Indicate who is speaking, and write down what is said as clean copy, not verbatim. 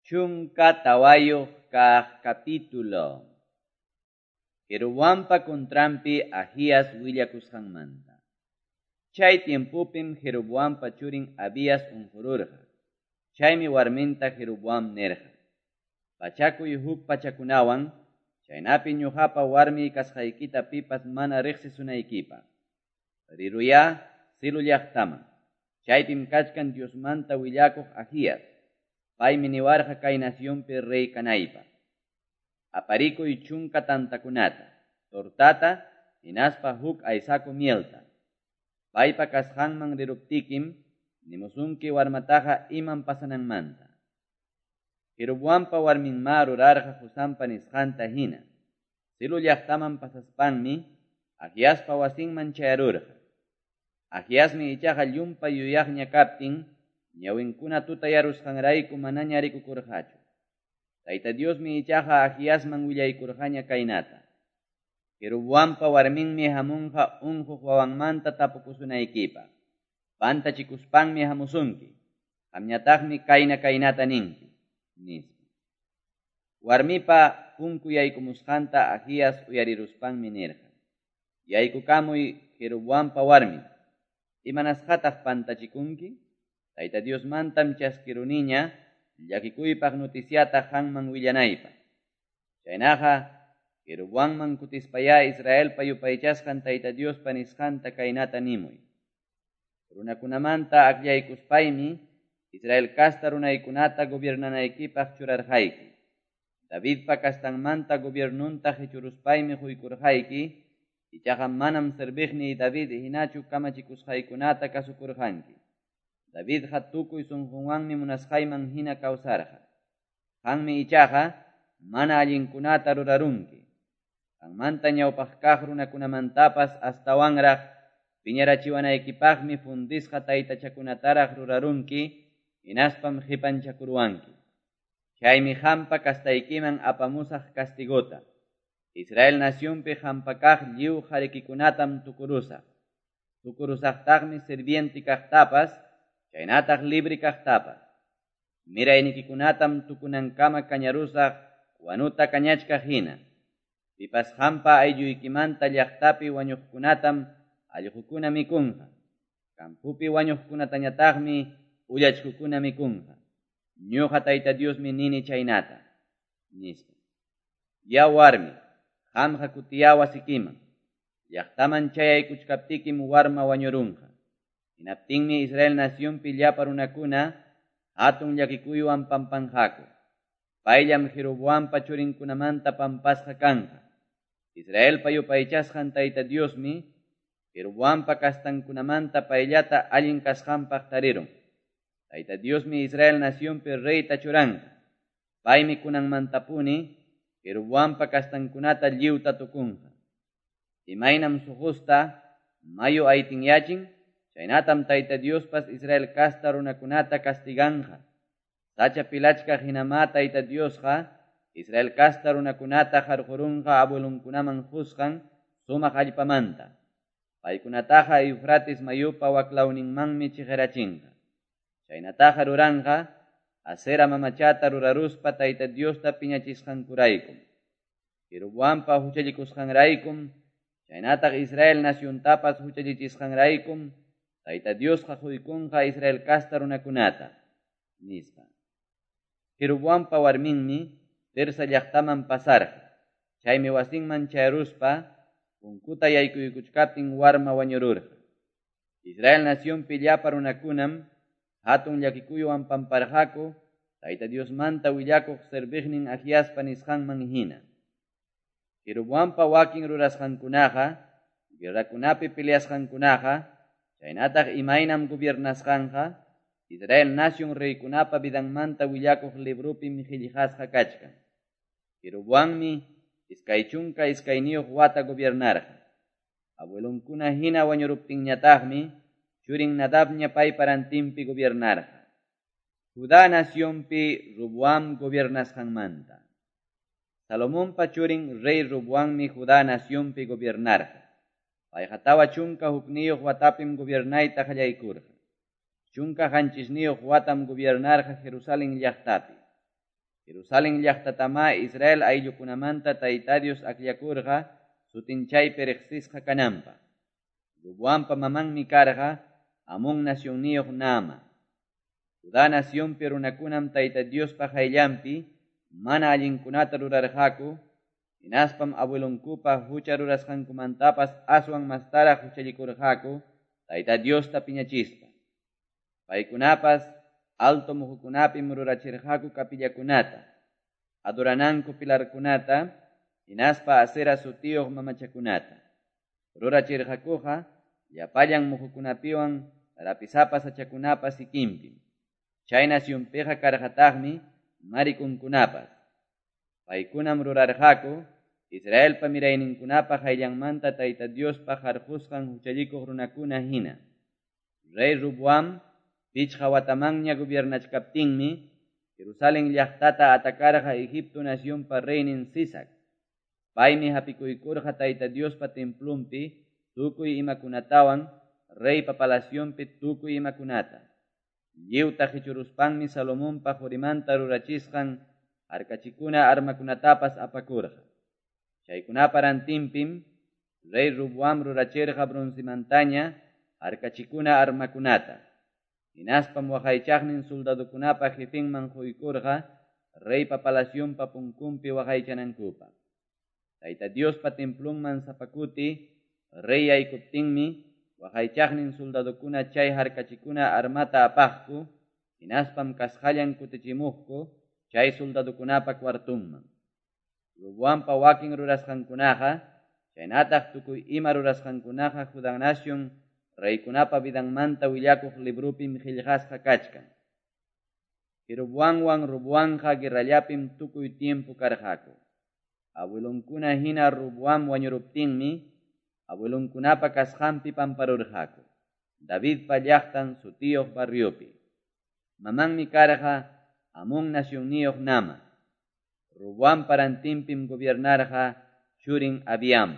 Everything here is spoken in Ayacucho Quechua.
Speaker 1: 14 kaq capítulo. Jeroboampa contranpi Ahías willakusqanmanta. Chay tiempopim Jeroboampa churin Abías unqururqa. Chaymi warminta Jeroboam nirqa: Pachakuy huk pachakunawan, chaynapi ñuqapa warmiy kasqaykita pipas mana riqsisunaykipaq. Riruyá Silo llaqtaman. Chaypim kachkan Diosmanta willakuq Ahías. Paymi niwarqa kay nacionpi rey kanaypaq. Aparikuy 10 tantakunata, tortata, hinaspa huk aysaku mielta. Paypa kasqanman riruptikim, nimusunki warmataqa imam pasananmanta. Jeroboampa warminma rurarqa qusanpa nisqanta hina. Silo llaqtaman pasaspanmi, Ahiaspa wasinman chayarurqa. Ahiasmi ichaqa llumpay yuyaqña kaptin, ñawinkuna tutayarusqanrayku manaña rikukurqachu. Tayta Diosmi ichaqa Ahiasman willaykurqaña kaynata: Jeroboampa warminmi hamunqa unquq wawanmanta tapukusunaykipaq. Pantachikuspanmi hamusunki. Qamñataqmi kayna kaynata ninki, nispa. Warmipa punku yaykumusqanta Ahías uyariruspanmi nirqa: Yaykukamuy Jeroboampa warmin. Imanasqataq pantachikunki? Tayta Diosmantam chaskiruniña llakikuypaq noticiata qanman willanaypaq. Chaynaqa Jeroboamman kutispayá Israelpa yupaychasqan Tayta Diospa nisqanta kaynata nimuy. Runakunamanta akllaykuspaymi Israel kasta runaykunata gobiernanaykipaq churarqayki. Davidpa kastanmanta gobiernunta qichuruspaymi quykurqayki, ichaqa manam serviqniy David hinachu kamachikusqaykunata kasukurqanki. Davidqa tukuy sunqunwanmi munasqayman hina kawsarqa. Qanmi ichaqa mana allinkunata rurarunki. Qanmanta ñawpaq kaq runakunamantapas astawanraq piñarachiwanaykipaqmi fundisqa taytachakunataraq rurarunki, hinaspam qipanchakuruwanki. Chaymi qampa kastaykiman apamusaq castigota. Israel nacionpi qampa kaq lliw qarikikunatam tukurusaq. Tukurusaqtaqmi sirviente kaqtapas, chaynataq libre kaqtapas. Miraynikikunatam tukunankama kañarusaq wanuta kañachkaq hina. Pipas qampa aylluykimanta llaqtapi wañuqkunatam allqukuna mikunqa. Kampupi wañuqkunatañataqmi ullachkukuna mikunqa. Ñuqa Tayta Diosmi nini chaynata, nispa. Ya warmi, qamqa kutiyá wasikiman. Llaqtaman chayaykuchkaptikim warma wañurunqa. Hinaptinmi Israel nacionpi llapa runakuna hatun llakikuywan pampanqaku. Payllam Jeroboampa churinkunamanta pampasqa kanqa. Israelpa yupaychasqan Tayta Diosmi Jeroboampa kastankunamanta payllata allin kasqanpaq tarirun. Tayta Diosmi Israel nacionpi reyta churanqa. Paymi kunanmantapuni Jeroboampa kastankunata lliwta tukunqa. Imaynam suqusta mayu aytinyachin, chaynatam Tayta Diospas Israel kasta runakunata castiganqa. Sacha pilachkaq hinamá Tayta Diosqa Israel kasta runakunata qarqurunqa abuelunkunaman qusqan sumaq allpamanta. Paykunataqa Eufrates mayupa waklawninmanmi chiqirachinqa. Chaynataqa ruranqa Asera mamachata ruraruspa Tayta Diosta piñachisqankuraykum. Jeroboampa huchallikusqanraykum, chaynataq Israel naciontapas huchallichisqanraykum, Tayta Diosqa quykunqa Israel kasta runakunata, nispa. Jeroboampa warminmi Tirsa llaqtaman pasarqa. Chaymi wasinman chayaruspa punkuta yaykuykuchkaptin warma wañururqa. Israel nacionpi llapa runakunam hatun llakikuywan pamparqaku Tayta Diosmanta willakuq serviqnin Ahiaspa nisqanman hina. Jeroboampa wakin rurasqankunaqa, guerrakunapi peleasqankunaqa, chaynataq imaynam gobiernasqanqa, Israel nacion reykunapa vidanmanta willakuq librupim qillqasqa kachkan. Jeroboammi 22 wata gobiernarqa. Abuelonkuna hina wañuruptinñataqmi churin Nadabña paypa rantinpi gobiernarqa. Judá nacionpi Roboam gobiernasqanmanta. Salomonpa churin rey Roboammi Judá nacionpi gobiernarqa. Payqa 41 watapim gobiernayta qallaykurqa. 17 watam gobiernarqa Jerusalén llaqtapi. Jerusalen llaqtatamá Israel ayllukunamanta Tayta Dios akllakurqa sutin chaypi reqsisqa kananpaq. Roboampa mamanmi karqa Amón nacionniyuq Naama. Judá nacionpi runakunam Tayta Diospa qayllanpi mana allinkunata rurarqaku, hinaspam abuelonkupa hucha rurasqankumantapas aswan mastaraq huchallikurqaku Tayta Diosta piñachispa. Paykunapas alto muhukunapim rurachirqaku capillakunata, adorananku pilarkunata, hinaspa Asera sutiyuq mamachakunata. Rurachirqakuqa llapallan muhukunapiwan rapisapa sachakunapa sikinpim. Chay nacionpiqa karqataqmi marikunkunapas. Paykunam rurarqaku Israelpa mirayninkunapa qayllanmanta Tayta Diospa qarqusqan huchallikuq runakuna hina. Rey Roboam pichqa watamanña gobiernachkaptinmi Jerusalén llaqtata atacarqa Egipto nacionpa reynin Sisac. Paymi hapikuykurqa Tayta Diospa templonpi tukuy imakunatawan reypa palacionpi tukuy imakunata. Lliwta qichuruspanmi Salomonpa qurimanta rurachisqan harkachikuna armakunatapas apakurqa. Chaykunapa rantinpim rey Roboam rurachirqa broncemantaña harkachikuna armakunata. Hinaspam waqaychaqnin soldadokunapa jefenman quykurqa reypa palacionpa punkunpi waqaychanankupaq. Tayta Diospa templonman sapa kuti rey yaykuptinmi waqaychaqnin soldadokuna chay harkachikuna armata apaqku, hinaspam kasqallan kutichimuqku chay soldadokunapa cuartunman. Roboampa wakin rurasqankunaqa, chaynataq tukuy ima rurasqankunaqa Judá nación reykunapa vidanmanta willakuq librupim qillqasqa kachkan. Jeroboamwan Roboamqa guerrallapim tukuy tiempo karqaku. Abuelonkuna hina Roboam wañuruptinmi abuelonkunapa kasqanpi pamparurqaku. Davidpa llaqtan sutiyuq barriopi. Mamanmi karqa Amón nacionniyuq Nama. Roboampa rantinpim gobiernarqa churin Abiam.